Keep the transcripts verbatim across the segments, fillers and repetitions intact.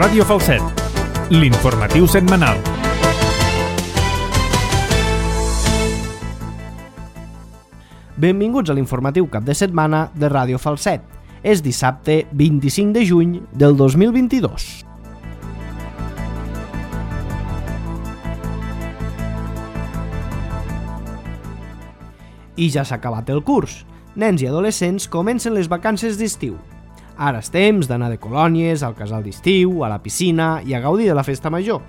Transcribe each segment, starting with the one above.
Ràdio Falset, l'informatiu setmanal. Benvinguts a l'informatiu cap de setmana de Ràdio Falset. És dissabte vint-i-cinc de juny del dos mil vint-i-dos. I ja s'ha acabat el curs. Nens i adolescents comencen les vacances d'estiu. Ara és temps d'anar de colònies, al casal d'estiu, a la piscina i a gaudir de la festa major.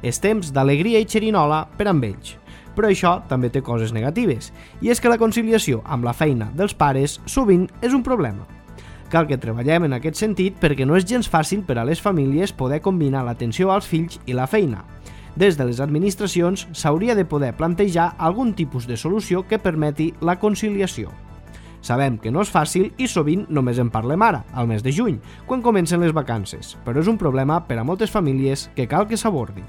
És temps d'alegria i xerinola per amb ells. Però això també té coses negatives, i és que la conciliació amb la feina dels pares sovint és un problema. Cal que treballem en aquest sentit perquè no és gens fàcil per a les famílies poder combinar l'atenció als fills i la feina. Des de les administracions s'hauria de poder plantejar algun tipus de solució que permeti la conciliació. Sabem que no és fàcil i sovint només en parlem ara, al mes de juny, quan comencen les vacances, però és un problema per a moltes famílies que cal que s'abordi.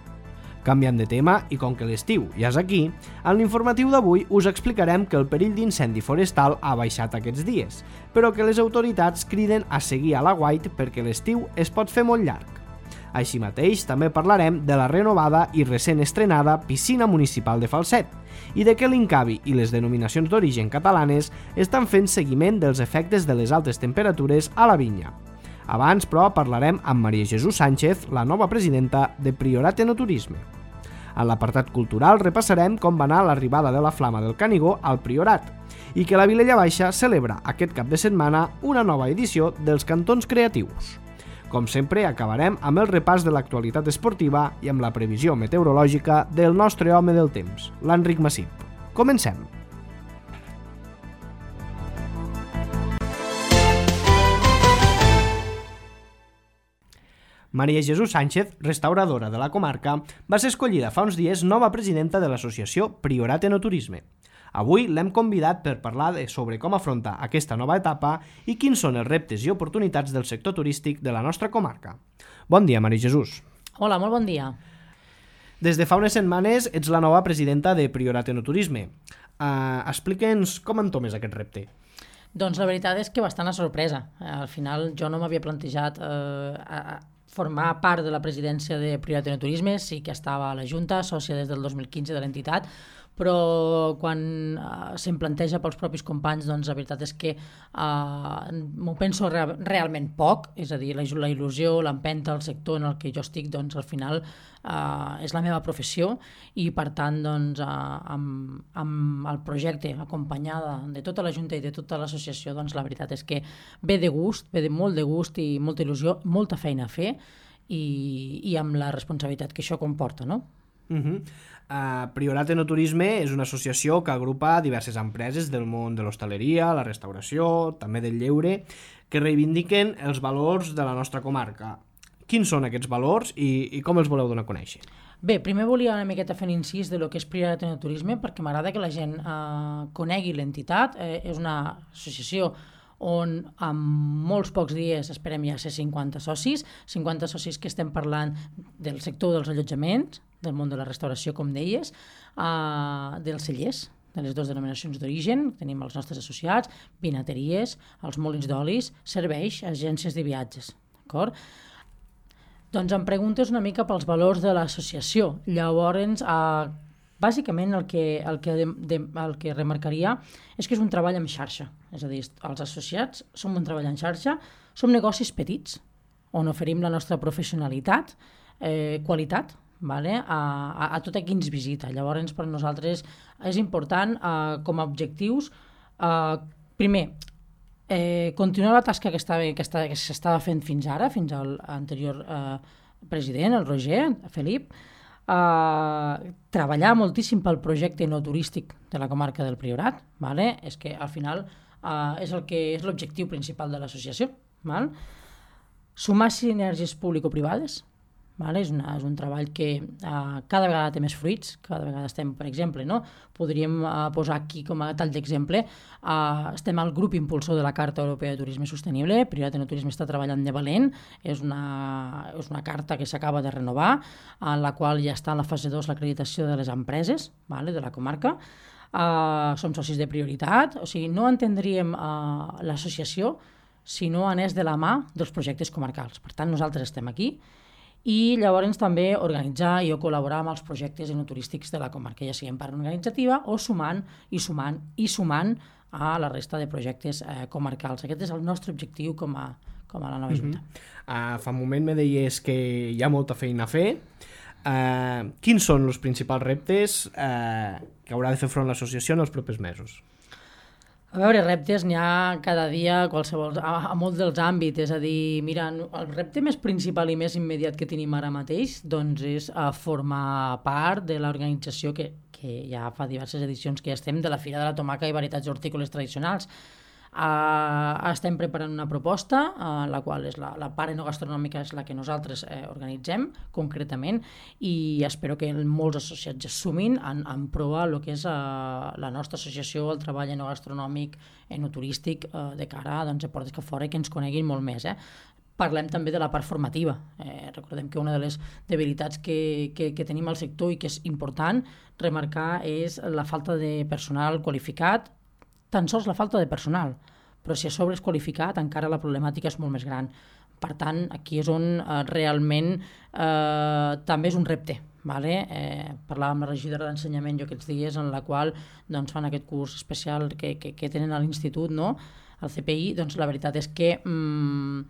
Canviant de tema, i com que l'estiu ja és aquí, en l'informatiu d'avui us explicarem que el perill d'incendi forestal ha baixat aquests dies, però que les autoritats criden a seguir a l'aguait perquè l'estiu es pot fer molt llarg. Així mateix, també parlarem de la renovada i recent estrenada piscina municipal de Falset i de què l'Incavi i les denominacions d'origen catalanes estan fent seguiment dels efectes de les altes temperatures a la vinya. Abans, però, parlarem amb Maria Jesús Sánchez, la nova presidenta de Priorat Enoturisme. En l'apartat cultural repassarem com va anar l'arribada de la Flama del Canigó al Priorat i que la Vilella Baixa celebra aquest cap de setmana una nova edició dels Cantons Creatius. Com sempre, acabarem amb el repàs de l'actualitat esportiva i amb la previsió meteorològica del nostre home del temps, l'Enric Massip. Comencem! Maria Jesús Sánchez, restauradora de la comarca, va ser escollida fa uns dies nova presidenta de l'associació Priorat Enoturisme. Avui l'hem convidat per parlar de sobre com afrontar aquesta nova etapa i quins són els reptes i oportunitats del sector turístic de la nostra comarca. Bon dia, Maria Jesús. Hola, molt bon dia. Des de fa unes setmanes ets la nova presidenta de Priorat Enoturisme. Uh, Explica'ns com entomes aquest repte. Doncs la veritat és que bastant a sorpresa. Al final jo no m'havia plantejat eh, a formar part de la presidència de Priorat Enoturisme, sí que estava a la Junta, sòcia des del dos mil quinze de l'entitat, però quan uh, se'm planteja pels propis companys, doncs la veritat és que uh, m'ho penso re- realment poc, és a dir, la, la il·lusió, l'empenta, el sector en el que jo estic, doncs al final uh, és la meva professió i per tant, doncs, uh, amb, amb el projecte acompanyada de tota la Junta i de tota l'associació, doncs la veritat és que ve de gust, ve de molt de gust i molta il·lusió, molta feina a fer i, i amb la responsabilitat que això comporta, no? Uh-huh. Uh, Priorat Enoturisme és una associació que agrupa diverses empreses del món de l'hostaleria, la restauració, també del lleure, que reivindiquen els valors de la nostra comarca. Quins són aquests valors i, i com els voleu donar a conèixer? Bé, primer volia una miqueta fer un incís de lo que és Priorat Enoturisme perquè m'agrada que la gent eh, conegui l'entitat. Eh, és una associació on en molts pocs dies esperem ja ser cinquanta socis, cinquanta socis que estem parlant del sector dels allotjaments, del món de la restauració, com deies, uh, dels cellers, de les dues denominacions d'origen, tenim els nostres associats, vinateries, els molins d'olis, serveis, agències de viatges, d'acord? Doncs em preguntes una mica pels valors de l'associació. Llavors, uh, bàsicament el que, el, que de, de, el que remarcaria és que és un treball en xarxa, és a dir, els associats som un treball en xarxa, som negocis petits, on oferim la nostra professionalitat, eh, qualitat, vale? a, a, a tot a qui ens visita. Llavors, per nosaltres és important, eh, com a objectius, eh, primer, eh, continuar la tasca que, estava, que, estava, que s'estava fent fins ara, fins al anterior eh, president, el Roger, Felip, eh, treballar moltíssim pel projecte no turístic de la comarca del Priorat, vale? És que al final eh, és el que és l'objectiu principal de l'associació. Val? Sumar sinergies público-privades, vale? És, una, és un treball que uh, cada vegada té més fruits, cada vegada estem, per exemple, no? podríem uh, posar aquí com a tall d'exemple, uh, estem al grup impulsor de la Carta Europea de Turisme Sostenible, Priorat Enoturisme està treballant de valent, és una, és una carta que s'acaba de renovar, en la qual ja està en la fase dos l'acreditació de les empreses, vale? De la comarca, uh, som socis de prioritat, o sigui, no entendríem uh, l'associació si no anés de la mà dels projectes comarcals. Per tant, nosaltres estem aquí i llavors també organitzar i o col·laborar amb els projectes enoturístics de la comarca, ja sigui en part organitzativa o sumant i sumant i sumant a la resta de projectes eh, comarcals. Aquest és el nostre objectiu com a, com a la nova Junta. Uh-huh. uh, fa un moment me deies que hi ha molta feina a fer. Uh, quins són els principals reptes uh, que haurà de fer front l'associació en els propers mesos? A veure, reptes n'hi ha cada dia qualsevol, a, a molts dels àmbits, és a dir, mira, el repte més principal i més immediat que tenim ara mateix doncs és a formar part de l'organització que, que ja fa diverses edicions que ja estem de la Fira de la Tomaca i Varietats Hortícoles Tradicionals. Uh, estem preparant una proposta, uh, la qual és la, la part enogastronòmica és la que nosaltres eh, organitzem concretament, i espero que molts associats es sumin en, en provar el que és uh, la nostra associació, el treball enogastronòmic, enoturístic, uh, de cara doncs, a portes que fora i que ens coneguin molt més. Eh? Parlem també de la part formativa. Eh, recordem que una de les debilitats que, que, que tenim al sector i que és important remarcar és la falta de personal qualificat, tan sols la falta de personal, però si a sobre és qualificat encara la problemàtica és molt més gran. Per tant, aquí és on eh, realment eh, també és un repte. Vale? Eh, parlàvem amb la regidora d'ensenyament jo aquests dies en la qual doncs, fan aquest curs especial que, que, que tenen a l'institut, no? Al C P I, doncs la veritat és que mm,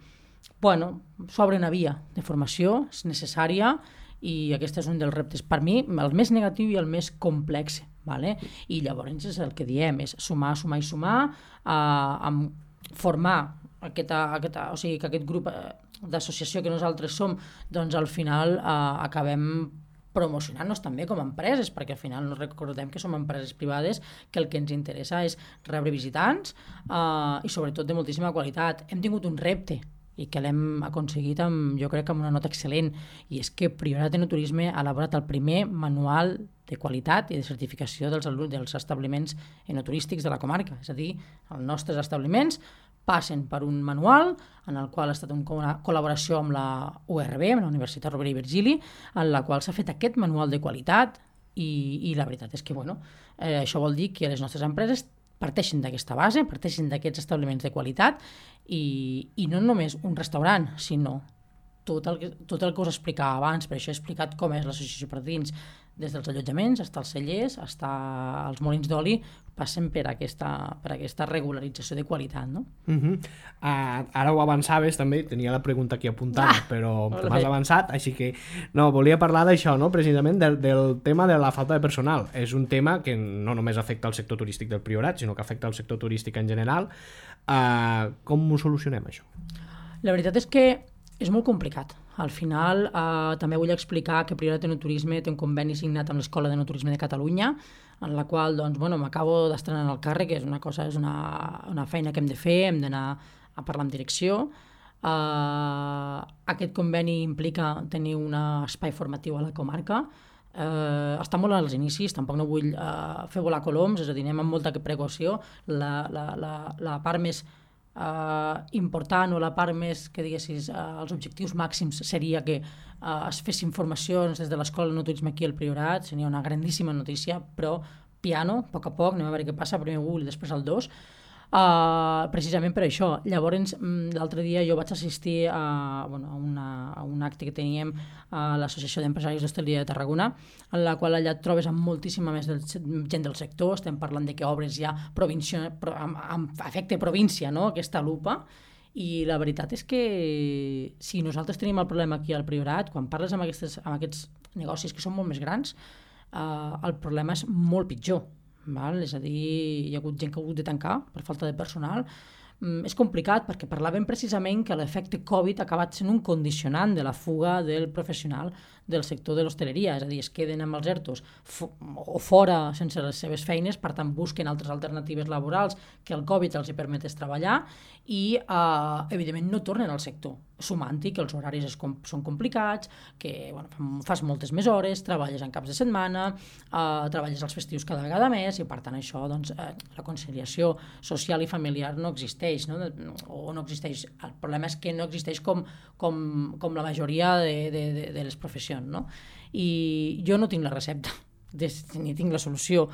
bueno, s'obre una via de formació, és necessària, i aquest és un dels reptes per mi, el més negatiu i el més complex. Vale? I llavors és el que diem, és sumar, sumar i sumar, eh, amb formar aquesta, aquesta, o sigui, que aquest grup d'associació que nosaltres som, doncs al final eh, acabem promocionant-nos també com a empreses, perquè al final no recordem que som empreses privades, que el que ens interessa és rebre visitants eh, i sobretot de moltíssima qualitat. Hem tingut un repte i que l'hem aconseguit amb, jo crec, amb una nota excel·lent, i és que Priorat Enoturisme ha elaborat el primer manual de qualitat i de certificació dels, dels establiments enoturístics de la comarca. És a dir, els nostres establiments passen per un manual en el qual ha estat una col·laboració amb la U R B, amb la Universitat Rovira i Virgili, en la qual s'ha fet aquest manual de qualitat i, i la veritat és que bueno, eh, això vol dir que les nostres empreses parteixen d'aquesta base, parteixen d'aquests establiments de qualitat i, i no només un restaurant, sinó tot el, que, tot el que us explicava abans. Per això he explicat com és l'associació per dins, des dels allotjaments, fins als cellers, fins als molins d'oli, passen per aquesta, per aquesta regularització de qualitat. No? Uh-huh. uh, ara ho avançaves també, tenia la pregunta aquí apuntada, ah, però m'has avançat, així que no, volia parlar d'això, no? Precisament del, del tema de la falta de personal. És un tema que no només afecta el sector turístic del Priorat, sinó que afecta el sector turístic en general. Uh, com ho solucionem, això? La veritat és que és molt complicat. Al final, eh, també vull explicar que Priorat Enoturisme té un conveni signat amb l'Escola d'Enoturisme de Catalunya, en la qual, doncs, bueno, m'acabo d'estrenar en el càrrec, és una cosa, és una, una feina que hem de fer, hem d'anar a parlar amb direcció. Eh, aquest conveni implica tenir un espai formatiu a la comarca. Eh, està molt als inicis, tampoc no vull eh, fer volar coloms, és a dir, anem amb molta precaució. La, la, la, la part més Uh, important o la part més que diguessis uh, els objectius màxims seria que uh, es fessin formacions des de l'Escola d'Enoturisme aquí al Priorat. Seria una grandíssima notícia, però piano, a poc a poc, anem a veure què passa, primer un i després el dos. Uh, precisament per això. Llavors, l'altre dia jo vaig assistir a, bueno, a, una, a un acte que teníem a l'Associació d'Empresaris d'Hostaleria de Tarragona, en la qual allà et trobes amb moltíssima més del, gent del sector. Estem parlant de que obres ja província, pro, amb, amb efecte província, no? Aquesta lupa, i la veritat és que si nosaltres tenim el problema aquí al Priorat, quan parles amb, aquestes, amb aquests negocis que són molt més grans, uh, el problema és molt pitjor. Val? És a dir, hi ha hagut gent que ha hagut de tancar per falta de personal. Mm, és complicat perquè parlàvem precisament que l'efecte Covid ha acabat sent un condicionant de la fuga del professional del sector de l'hostaleria, és a dir, es queden amb els ERTOs fo- o fora sense les seves feines, per tant busquen altres alternatives laborals que el Covid els hi permetés treballar i, eh, evidentment, no tornen al sector, sumant-hi que els horaris es com- són complicats, que bueno, fas moltes més hores, treballes en caps de setmana, eh, treballes els festius cada vegada més i, per tant, això, doncs, eh, la conciliació social i familiar no existeix, no? o no existeix. El problema és que no existeix com, com, com la majoria de, de, de, de les professions. No? I jo no tinc la recepta ni tinc la solució.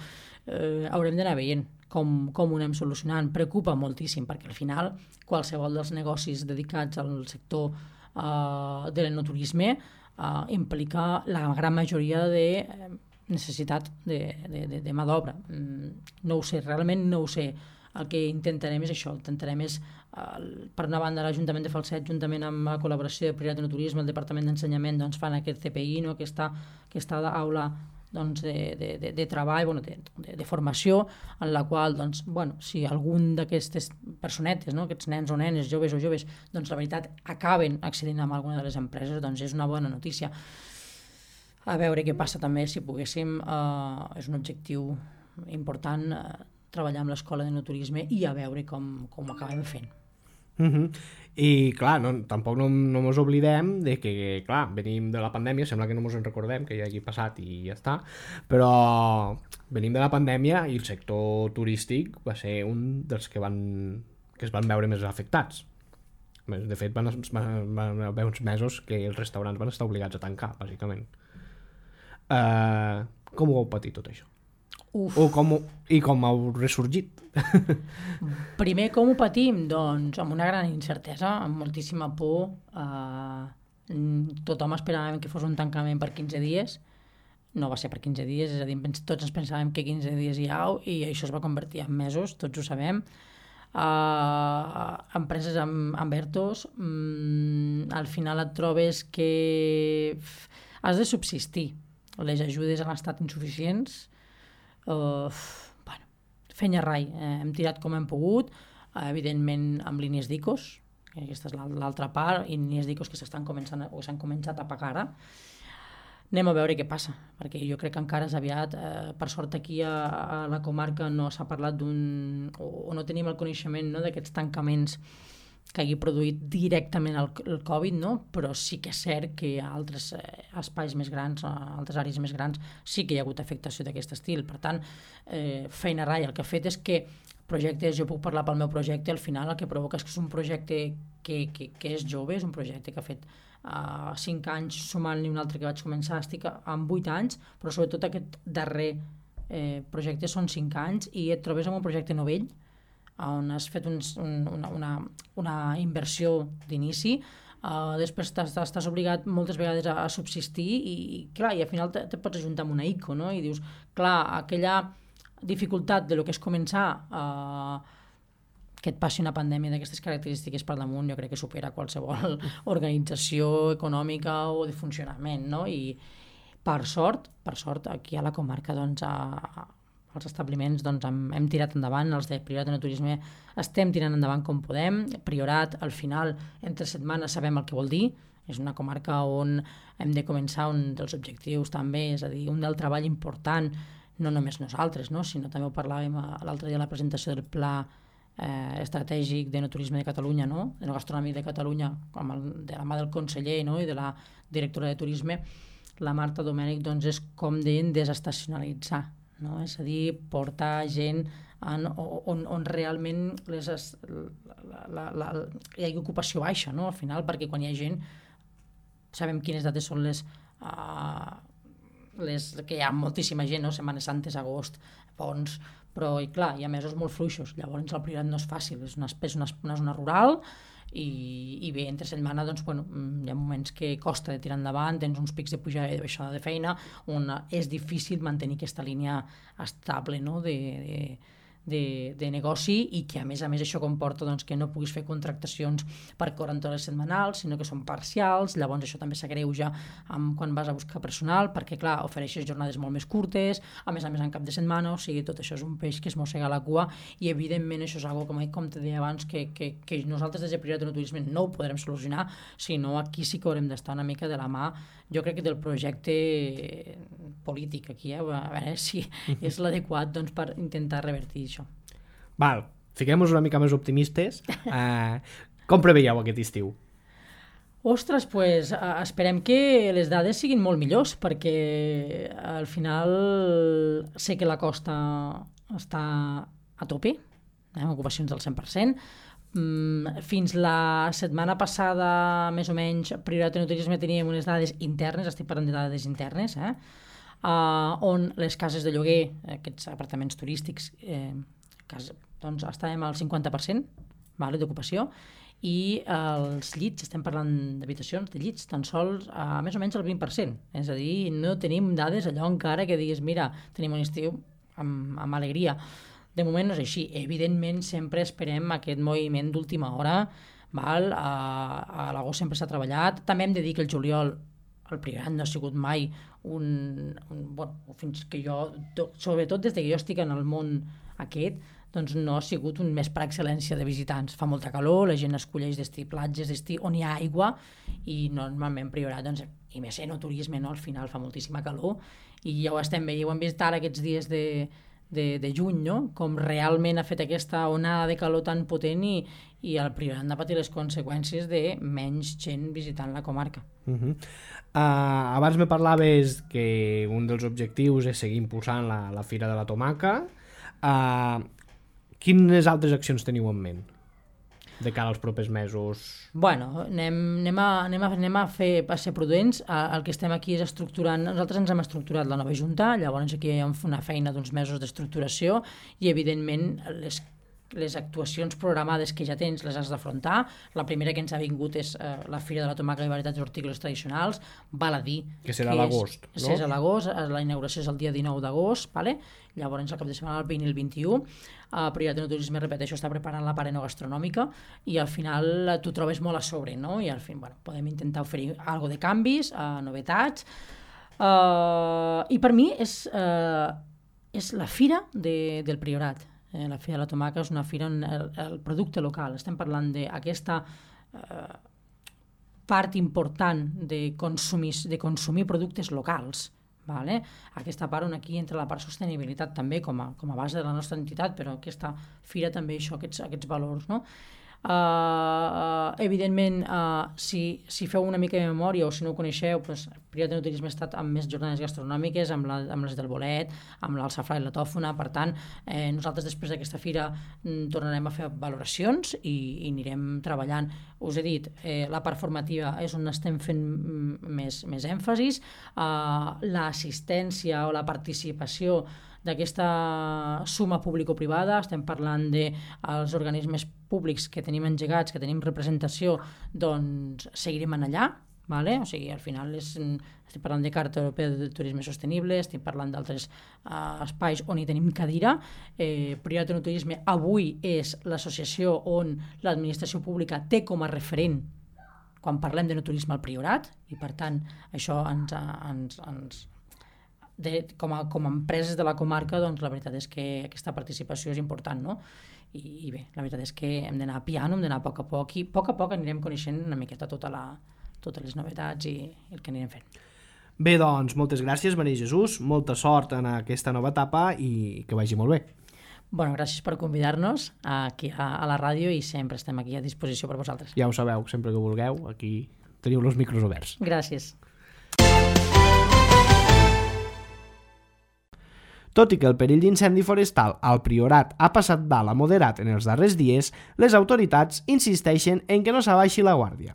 Eh, haurem d'anar veient com, com ho anem solucionant. Preocupa moltíssim perquè al final qualsevol dels negocis dedicats al sector eh, de l'enoturisme uh, implica la gran majoria de eh, necessitat de, de, de, de mà d'obra. Mm, no ho sé, realment no ho sé. El que intentarem és això, intentarem és, uh, per una banda, l'Ajuntament de Falset, juntament amb la col·laboració de Prioritat de Turisme, el Departament d'Ensenyament, doncs, fan aquest C P I, no? aquesta, aquesta aula doncs, de, de, de, de treball, bueno, de, de, de formació, en la qual, doncs, bueno, si algun d'aquestes personetes, no? aquests nens o nenes, joves o joves, doncs, la veritat, acaben accedint a alguna de les empreses, doncs és una bona notícia. A veure què passa també, si poguéssim, uh, és un objectiu important, uh, treballar amb l'escola de no-turisme i a veure com, com ho acabem fent. Uh -huh. I clar, no, tampoc no, no mos oblidem de que, clar, venim de la pandèmia, sembla que no mos en recordem, que ja hagi passat i ja està, però venim de la pandèmia i el sector turístic va ser un dels que van que es van veure més afectats. De fet, van, van, van haver uns mesos que els restaurants van estar obligats a tancar, bàsicament. Uh, com ho heu patit tot això? Uf. O com, i com heu ressorgit? Primer, com ho patim? Doncs amb una gran incertesa, amb moltíssima por. Eh, tothom esperàvem que fos un tancament per quinze dies. No va ser per quinze dies, és a dir, tots ens pensàvem que quinze dies hi ha i això es va convertir en mesos, tots ho sabem. Uh, empreses amb, amb ERTOs, mm, al final et trobes que has de subsistir. Les ajudes han estat insuficients. Uh, bueno, fenya rai, eh, hem tirat com hem pogut, uh, evidentment amb línies d'ICOs, que aquesta és l'altra part, i línies d'ICOs que s'estan començant o s'han començat a pagar ara. Anem a veure què passa, perquè jo crec que encara és aviat, eh, per sort aquí a, a la comarca no s'ha parlat d'un, o, o no tenim el coneixement, no, d'aquests tancaments que hagi produït directament el, el Covid, no? Però sí que és cert que a altres eh, espais més grans, a altres àrees més grans, sí que hi ha hagut afectació d'aquest estil. Per tant, eh, feina rai, el que ha fet és que projectes, jo puc parlar pel meu projecte, al final el que provoca és que és un projecte que, que, que és jove, és un projecte que ha fet uh, cinc anys, sumant-li un altre que vaig començar, estic amb vuit anys, però sobretot aquest darrer eh, projecte són cinc anys i et trobes amb un projecte novell, on has fet un, un, una, una, una inversió d'inici, uh, després estàs obligat moltes vegades a, a subsistir i, clar, i al final te, te pots ajuntar amb una ICO, no? I dius, clar, aquella dificultat de lo que és començar, uh, que et passi una pandèmia d'aquestes característiques per damunt, jo crec que supera qualsevol organització econòmica o de funcionament, no? I per sort, per sort, aquí a la comarca, doncs, a, els establiments doncs, hem, hem tirat endavant, els de Priorat de Turisme estem tirant endavant com podem. Priorat, al final, entre setmanes sabem el que vol dir, és una comarca on hem de començar un dels objectius també, és a dir, un del treball important, no només nosaltres, no? Sinó també ho parlàvem l'altre dia a la presentació del Pla eh, Estratègic de No Turisme de Catalunya, no? De No Gastronomia de Catalunya, amb el, de la mà del conseller, no? I de la directora de Turisme, la Marta Domènech, doncs és com deien desestacionalitzar, no? És a dir, portar gent en, on, on realment les, la, la, la, hi ha ocupació baixa, no? Al final, perquè quan hi ha gent sabem quines dates són les, uh, les que hi ha moltíssima gent, no? Setmanes Santes, agost, ponts, però i clar, hi ha mesos molt fluixos, llavors el Priorat no és fàcil, és una, és una, una zona rural i, i bé, entre setmana doncs, bueno, hi ha moments que costa de tirar endavant, tens uns pics de pujada i de baixada de feina on és difícil mantenir aquesta línia estable, no? de, de, de, de negoci i que a més a més això comporta doncs, que no puguis fer contractacions per quaranta hores setmanals, sinó que són parcials, llavors això també s'agreuja amb quan vas a buscar personal, perquè clar, ofereixes jornades molt més curtes, a més a més en cap de setmana, o sigui, tot això és un peix que es mossega la cua i evidentment això és algo, com, com te deia abans, que, que, que nosaltres des de Priorat de Turisme no ho podrem solucionar, sinó aquí sí que haurem d'estar una mica de la mà, jo crec que del projecte polític aquí, eh? A veure si és l'adequat doncs, per intentar revertir això. Val, fiquem-nos una mica més optimistes. Uh, com preveieu aquest estiu? Ostres, pues, uh, esperem que les dades siguin molt millors, perquè al final sé que la costa està a tope, eh? Ocupacions del cent per cent. Mm, fins la setmana passada, més o menys, Priorat de Turisme teníem unes dades internes, estic parlant de dades internes, eh? uh, on les cases de lloguer, aquests apartaments turístics, eh, casa, doncs estàvem al cinquanta per cent, vale, d'ocupació, i els llits, estem parlant d'habitacions, de llits, tan sols a més o menys el vint per cent. És a dir, no tenim dades allò encara que diguis, mira, tenim un estiu amb, amb alegria. De moment no és així. Evidentment, sempre esperem aquest moviment d'última hora, val? A, a l'agost sempre s'ha treballat. També hem de dir que el juliol, el Priorat no ha sigut mai un... un bueno, fins que jo, sobretot des que jo estic en el món aquest, doncs no ha sigut un mes per excel·lència de visitants. Fa molta calor, la gent escolleix destí platges, destí on hi ha aigua, i normalment Priorat, doncs, i més en el turisme, no? Al final fa moltíssima calor, i ja ho estem veient, ho hem vist ara aquests dies de, de, de juny, no? Com realment ha fet aquesta onada de calor tan potent, i, i el Priorat ha patit les conseqüències de menys gent visitant la comarca. Uh-huh. Uh, abans me parlaves que un dels objectius és seguir impulsant la, la Fira de la Tomaca. Uh, Quines altres accions teniu en ment de cara als propers mesos? Bueno, anem, anem, a, anem, a, anem a fer a ser prudents. El que estem aquí és estructurant, nosaltres ens hem estructurat la nova Junta, llavors aquí hi ha una feina d'uns mesos d'estructuració i evidentment les les actuacions programades que ja tens les has d'afrontar. La primera que ens ha vingut és eh, la Fira de la Tomaca i Varietats Hortícoles Tradicionals, val a dir que serà a l'agost, no? És a l'agost, la inauguració és el dia dinou d'agost, vale? Llavors el cap de setmana el vint i el vint-i-u. Uh, Priorat de Turisme, repeteixo, està preparant la part enogastronòmica i al final t'ho trobes molt a sobre, no? I al final, bueno, podem intentar oferir algo de canvis, uh, novetats, uh, i per mi és, uh, és la fira de, del Priorat. Eh, la Fira de la Tomaca és una fira on el, el producte local, estem parlant d'aquesta eh, part important de consumir, de consumir productes locals, vale? Aquesta part on aquí entra la part sostenibilitat també com a, com a base de la nostra entitat, però aquesta fira també això, aquests, aquests valors, no? Uh, evidentment, uh, si, si feu una mica de memòria o si no ho coneixeu, pues, Priorat de Turisme ha estat amb més jornades gastronòmiques, amb, la, amb les del bolet, amb l'alçafrà i la tòfona. Per tant, eh, nosaltres després d'aquesta fira mm, tornarem a fer valoracions i, i anirem treballant. Us he dit, eh, la part formativa és on estem fent mm, més, més èmfasis, uh, l'assistència o la participació d'aquesta suma público-privada, estem parlant dels organismes públics que tenim engegats, que tenim representació, doncs seguirem en allà, vale? O sigui, al final és, estem parlant de Carta Europea de Turisme Sostenible, estem parlant d'altres uh, espais on hi tenim cadira. Eh, Priorat de Turisme avui és l'associació on l'administració pública té com a referent quan parlem de no turisme al Priorat, i per tant això ens... ens, ens De, com, a, com a empreses de la comarca, doncs la veritat és que aquesta participació és important, no? I, i bé, la veritat és que hem d'anar piano, hem d'anar a poc a poc, i a poc a poc anirem coneixent una miqueta tota la, totes les novetats i el que anirem fent. Bé, doncs, moltes gràcies, Maria Jesús, molta sort en aquesta nova etapa i que vagi molt bé. Bueno, gràcies per convidar-nos aquí a, a la ràdio i sempre estem aquí a disposició per vosaltres. Ja ho sabeu, sempre que vulgueu, aquí teniu els micros oberts. Gràcies. Tot i que el perill d'incendi forestal al Priorat ha passat d'alt a moderat en els darrers dies, les autoritats insisteixen en que no s'abaixi la guàrdia.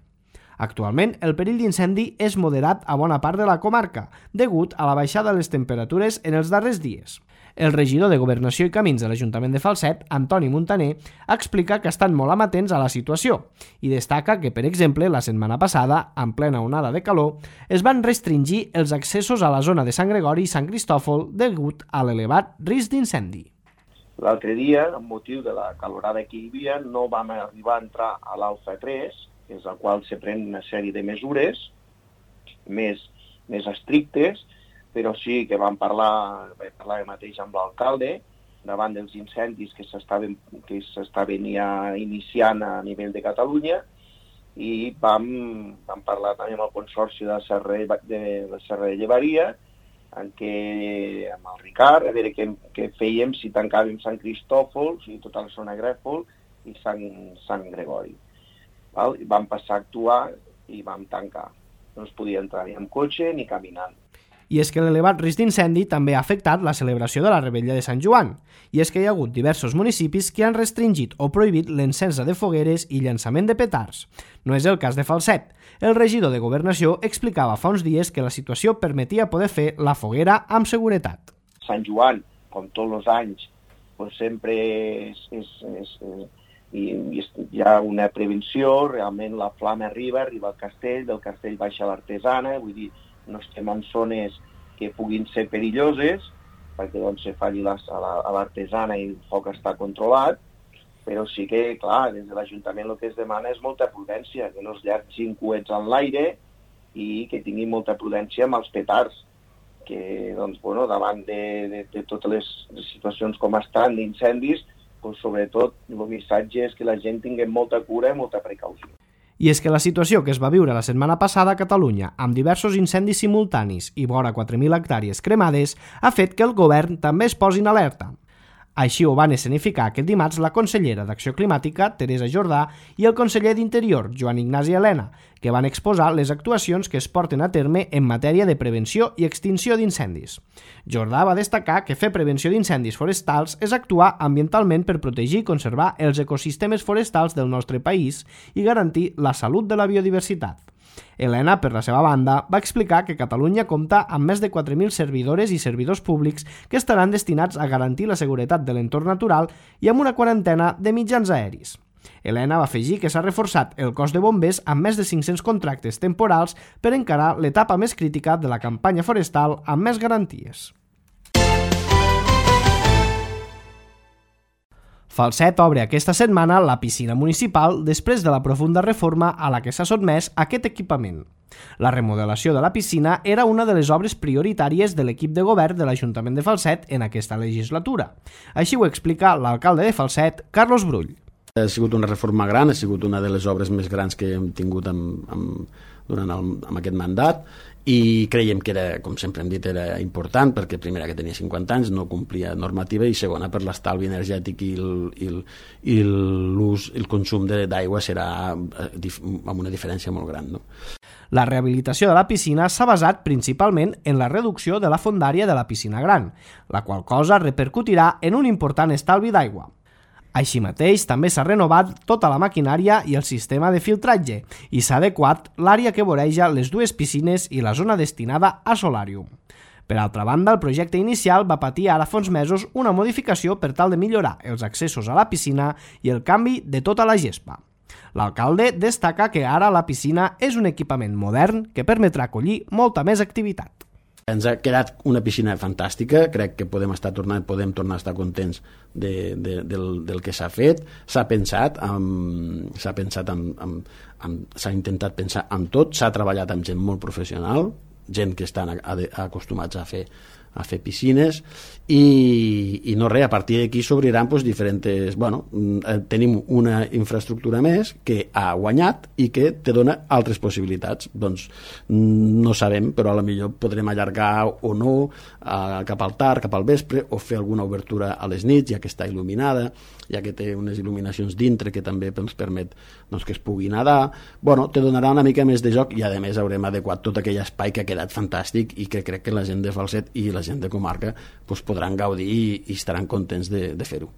Actualment, el perill d'incendi és moderat a bona part de la comarca, degut a la baixada de les temperatures en els darrers dies. El regidor de Governació i Camins de l'Ajuntament de Falset, Antoni Muntaner, explica que estan molt amatents a la situació i destaca que, per exemple, la setmana passada, en plena onada de calor, es van restringir els accessos a la zona de Sant Gregori i Sant Cristòfol degut a l'elevat risc d'incendi. L'altre dia, amb motiu de la calorada que hi havia, no vam arribar a entrar a l'Alfa tres, des del qual se pren una sèrie de mesures més, més estrictes, però sí que vam parlar, vam parlar mateix amb l'alcalde davant dels incendis que s'estaven que s'estaven ja iniciant a nivell de Catalunya, i vam, vam parlar també amb el consorci de la Serra de, la Serra de Llevaria, en què, amb el Ricard, a veure què, què fèiem si tancàvem Sant Cristòfol, o sigui, tota la zona Grèfol i Sant, Sant Gregori. Val? I vam passar a actuar i vam tancar. No es podia entrar ni amb cotxe ni caminant. I és que l'elevat risc d'incendi també ha afectat la celebració de la Rebella de Sant Joan, i és que hi ha hagut diversos municipis que han restringit o prohibit l'encensa de fogueres i llançament de petards. No és el cas de Falset. El regidor de Governació explicava fa uns dies que la situació permetia poder fer la foguera amb seguretat. Sant Joan, com tots els anys, pues sempre és, és, és, i, i hi ha una prevenció, realment la flama arriba, arriba al castell, del castell baixa l'artesana, vull dir, no estem en zones que puguin ser perilloses, perquè doncs se falli la, a l'artesana i el foc està controlat, però sí que, clar, des de l'Ajuntament el que es demana és molta prudència, que no es llargin coets en l'aire i que tinguin molta prudència amb els petards, que, doncs, bueno, davant de, de, de totes les situacions com estan d'incendis, doncs, sobretot, el missatge és que la gent tingui molta cura i molta precaució. I és que la situació que es va viure la setmana passada a Catalunya, amb diversos incendis simultanis i vora quatre mil hectàrees cremades, ha fet que el govern també es posi en alerta. Així ho van escenificar aquest dimarts la consellera d'Acció Climàtica, Teresa Jordà, i el conseller d'Interior, Joan Ignasi Elena, que van exposar les actuacions que es porten a terme en matèria de prevenció i extinció d'incendis. Jordà va destacar que fer prevenció d'incendis forestals és actuar ambientalment per protegir i conservar els ecosistemes forestals del nostre país i garantir la salut de la biodiversitat. Elena, per la seva banda, va explicar que Catalunya compta amb més de quatre mil servidores i servidors públics que estaran destinats a garantir la seguretat de l'entorn natural i amb una quarantena de mitjans aeris. Elena va afegir que s'ha reforçat el cos de bombers amb més de cinc-cents contractes temporals per encarar l'etapa més crítica de la campanya forestal amb més garanties. Falset obre aquesta setmana la piscina municipal després de la profunda reforma a la que s'ha sotmès aquest equipament. La remodelació de la piscina era una de les obres prioritàries de l'equip de govern de l'Ajuntament de Falset en aquesta legislatura. Així ho explica l'alcalde de Falset, Carlos Brull. Ha sigut una reforma gran, ha sigut una de les obres més grans que hem tingut amb, amb, durant el, amb aquest mandat, i creiem que era, com sempre hem dit, era important perquè primera que tenia cinquanta anys, no complia normativa, i segona per l'estalvi energètic i el, i el, i l'ús, el consum d'aigua serà amb una diferència molt gran, no? La rehabilitació de la piscina s'ha basat principalment en la reducció de la fondària de la piscina gran, la qual cosa repercutirà en un important estalvi d'aigua. Així mateix, també s'ha renovat tota la maquinària i el sistema de filtratge i s'ha adequat l'àrea que voreja les dues piscines i la zona destinada a solàrium. Per altra banda, el projecte inicial va patir ara fa uns mesos una modificació per tal de millorar els accessos a la piscina i el canvi de tota la gespa. L'alcalde destaca que ara la piscina és un equipament modern que permetrà acollir molta més activitat. Ens ha quedat una piscina fantàstica, crec que podem estar tornant, podem tornar a estar contents de, de, del, del que s'ha fet. S'ha pensat, amb, s'ha pensat amb, amb, amb, s'ha intentat pensar en tot, s'ha treballat amb gent molt professional, gent que estan acostumats a fer a fer piscines i, i no res, a partir d'aquí s'obriran doncs, diferents, bueno, tenim una infraestructura més que ha guanyat i que te dona altres possibilitats, doncs no sabem, però a lo millor podrem allargar o no eh, cap al tard, cap al vespre, o fer alguna obertura a les nits, ja que està il·luminada, ja que té unes il·luminacions dintre que també ens permet doncs, que es pugui nedar. Bueno, te donarà una mica més de joc i a més haurem adequat tot aquell espai que ha quedat fantàstic i que crec que la gent de Falset i la gent de comarca doncs, podran gaudir i, i estaran contents de, de fer-ho.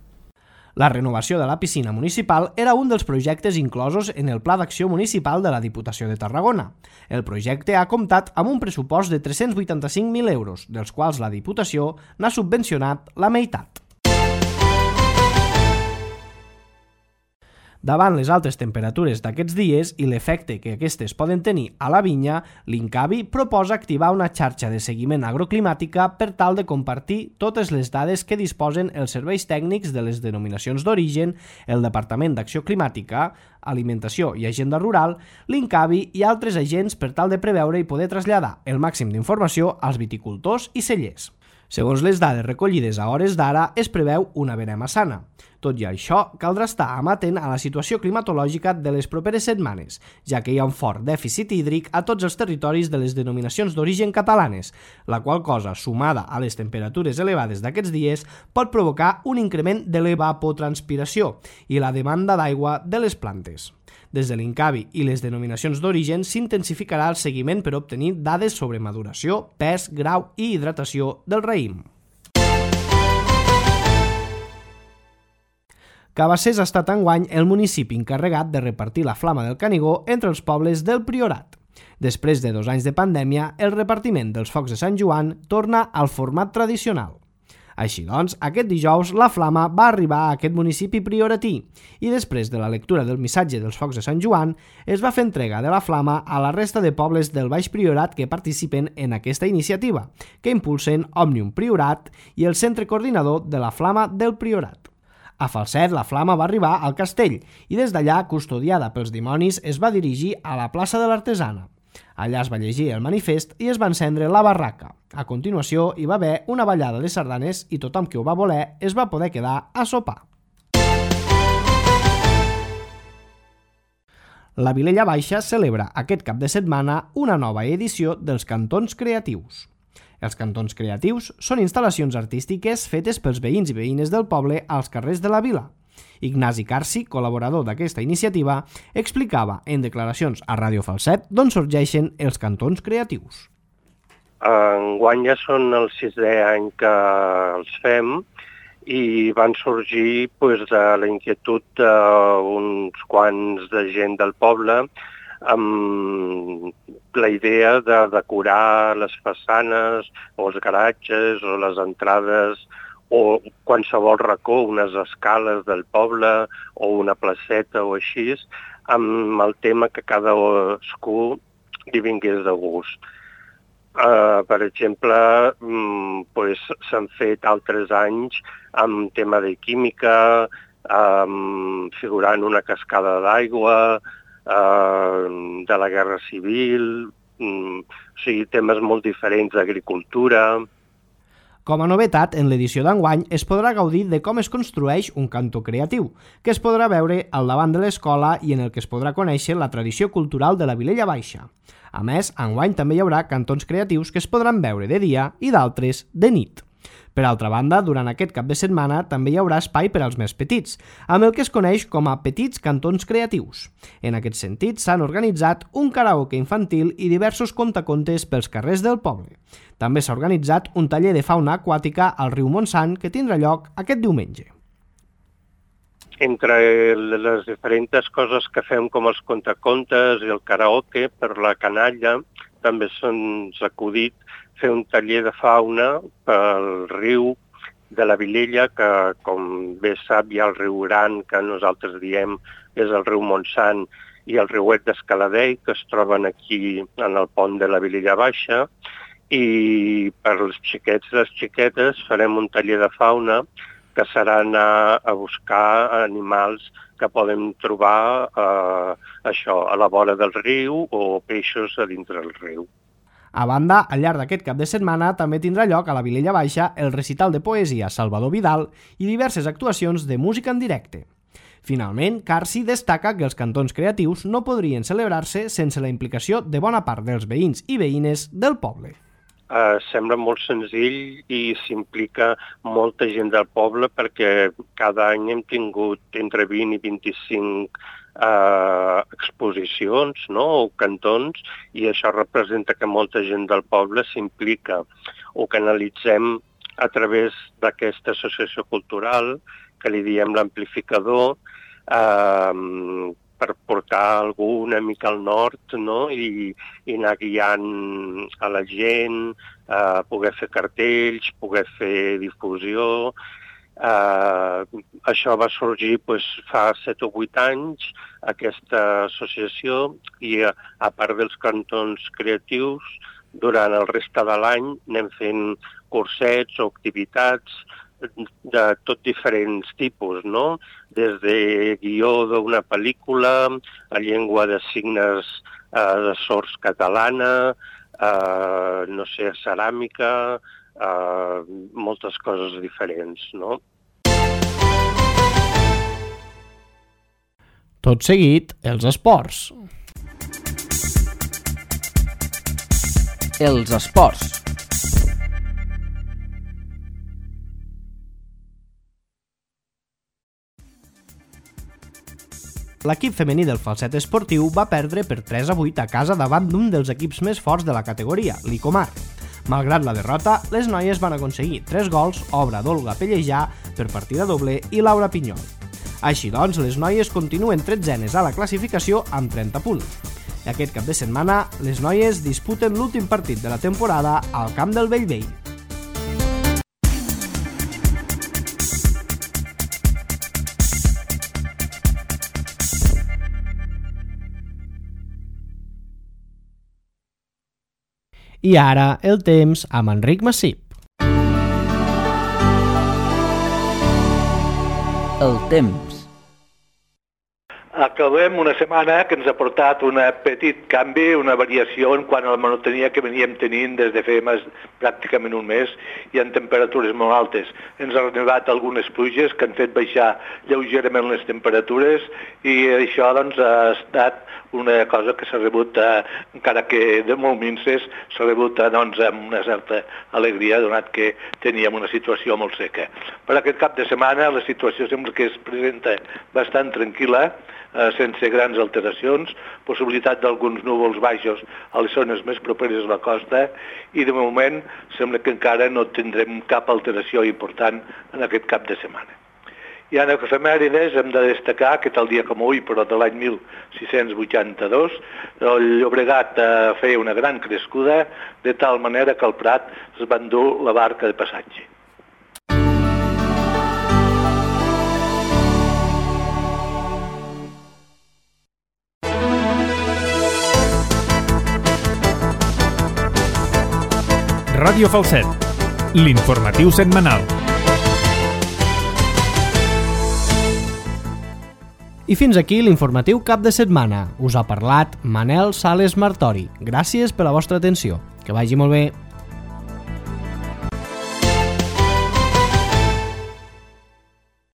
La renovació de la piscina municipal era un dels projectes inclosos en el Pla d'Acció Municipal de la Diputació de Tarragona. El projecte ha comptat amb un pressupost de tres-cents vuitanta-cinc mil euros, dels quals la Diputació n'ha subvencionat la meitat. Davant les altes temperatures d'aquests dies i l'efecte que aquestes poden tenir a la vinya, l'Incavi proposa activar una xarxa de seguiment agroclimàtica per tal de compartir totes les dades que disposen els serveis tècnics de les denominacions d'origen, el Departament d'Acció Climàtica, Alimentació i Agenda Rural, l'Incavi i altres agents per tal de preveure i poder traslladar el màxim d'informació als viticultors i cellers. Segons les dades recollides a hores d'ara, es preveu una verema sana. Tot i això, caldrà estar amatent a la situació climatològica de les properes setmanes, ja que hi ha un fort dèficit hídric a tots els territoris de les denominacions d'origen catalanes, la qual cosa, sumada a les temperatures elevades d'aquests dies, pot provocar un increment de l'evapotranspiració i la demanda d'aigua de les plantes. Des de l'Incavi i les denominacions d'origen s'intensificarà el seguiment per obtenir dades sobre maduració, pes, grau i hidratació del raïm. Cabassers ha estat enguany el municipi encarregat de repartir la flama del Canigó entre els pobles del Priorat. Després de dos anys de pandèmia, el repartiment dels focs de Sant Joan torna al format tradicional. Així doncs, aquest dijous la flama va arribar a aquest municipi prioratí i després de la lectura del missatge dels focs de Sant Joan es va fer entrega de la flama a la resta de pobles del Baix Priorat que participen en aquesta iniciativa, que impulsen Òmnium Priorat i el Centre Coordinador de la Flama del Priorat. A Falset, la flama va arribar al castell i des d'allà, custodiada pels dimonis, es va dirigir a la plaça de l'Artesana. Allà es va llegir el manifest i es va encendre la barraca. A continuació hi va haver una ballada de sardanes i tothom que ho va voler es va poder quedar a sopar. La Vilella Baixa celebra aquest cap de setmana una nova edició dels Cantons Creatius. Els Cantons Creatius són instal·lacions artístiques fetes pels veïns i veïnes del poble als carrers de la vila. Ignasi Carci, col·laborador d'aquesta iniciativa, explicava en declaracions a Ràdio Falset d'on sorgeixen els Cantons Creatius. Enguany ja són el sisè any que els fem i van sorgir pues, de la inquietud d'uns quants de gent del poble amb la idea de decorar les façanes o els garatges o les entrades o qualsevol racó, unes escales del poble o una placeta o així, amb el tema que cadascú li vingués de gust. Uh, per exemple, um, pues, s'han fet altres anys amb tema de química, um, figurant una cascada d'aigua, uh, de la Guerra Civil, um, o sigui, temes molt diferents d'agricultura. Com a novetat, en l'edició d'enguany es podrà gaudir de com es construeix un cantó creatiu, que es podrà veure al davant de l'escola i en el que es podrà conèixer la tradició cultural de la Vilella Baixa. A més, enguany també hi haurà cantons creatius que es podran veure de dia i d'altres de nit. Per altra banda, durant aquest cap de setmana també hi haurà espai per als més petits, amb el que es coneix com a Petits Cantons Creatius. En aquest sentit, s'han organitzat un karaoke infantil i diversos contacontes pels carrers del poble. També s'ha organitzat un taller de fauna aquàtica al riu Montsant que tindrà lloc aquest diumenge. Entre les diferents coses que fem com els contacontes i el karaoke, per la canalla també se'ns ha acudit fer un taller de fauna pel riu de la Vilella, que com bé sap hi ha el riu Gran, que nosaltres diem és el riu Montsant, i el riuet d'Escaladei, que es troben aquí en el pont de la Vilella Baixa, i per als xiquets i les xiquetes farem un taller de fauna que serà anar a buscar animals que podem trobar eh, això, a la vora del riu o peixos a dintre del riu. A banda, al llarg d'aquest cap de setmana també tindrà lloc a la Vilella Baixa el recital de poesia Salvador Vidal i diverses actuacions de música en directe. Finalment, Carci destaca que els cantons creatius no podrien celebrar-se sense la implicació de bona part dels veïns i veïnes del poble. Uh, sembla molt senzill i s'implica molta gent del poble perquè cada any hem tingut entre vint i vint-i-cinc uh, exposicions, no?, o cantons, i això representa que molta gent del poble s'implica. Ho canalitzem a través d'aquesta associació cultural, que li diem l'amplificador, uh, per portar algú una mica al nord, no?, i, i anar guiant a la gent, eh, poder fer cartells, poder fer difusió. Eh, això va sorgir pues, fa set o vuit anys, aquesta associació, i a, a part dels cantons creatius, durant el reste de l'any anem fent cursets o activitats de tot diferents tipus, no? Des de guió d'una pel·lícula, a llengua de signes eh, de sords catalana, eh, no sé, ceràmica, eh, moltes coses diferents, no? Tot seguit, els esports. Els esports. L'equip femení del Falset Esportiu va perdre per tres a vuit a casa davant d'un dels equips més forts de la categoria, l'Icomar. Malgrat la derrota, les noies van aconseguir tres gols, obra d'Olga Pellejà per partida doble i Laura Pinyol. Així doncs, les noies continuen tretzenes a la classificació amb trenta punts. I aquest cap de setmana, les noies disputen l'últim partit de la temporada al camp del Bellvei. I ara el temps amb Enric Massip. El temps. Acabem una setmana que ens ha portat un petit canvi, una variació en quant a la monotonia que veníem tenint des de fa més, pràcticament un mes i en temperatures molt altes. Ens han arribat algunes pluges que han fet baixar lleugerament les temperatures i això doncs, ha estat una cosa que s'ha rebut, eh, encara que de molt minces, s'ha rebut eh, doncs, amb una certa alegria, donat que teníem una situació molt seca. Per aquest cap de setmana la situació sembla que es presenta bastant tranquil·la, eh, sense grans alteracions, possibilitat d'alguns núvols baixos a les zones més properes a la costa i de moment sembla que encara no tindrem cap alteració important en aquest cap de setmana. I en efemèrides hem de destacar que tal dia com avui, però de l'any mil sis-cents vuitanta-dos, el Llobregat eh, feia una gran crescuda, de tal manera que al Prat es va endur la barca de passatge. Ràdio Falset, l'informatiu setmanal. I fins aquí l'informatiu cap de setmana. Us ha parlat Manel Sales Martori. Gràcies per la vostra atenció. Que vagi molt bé.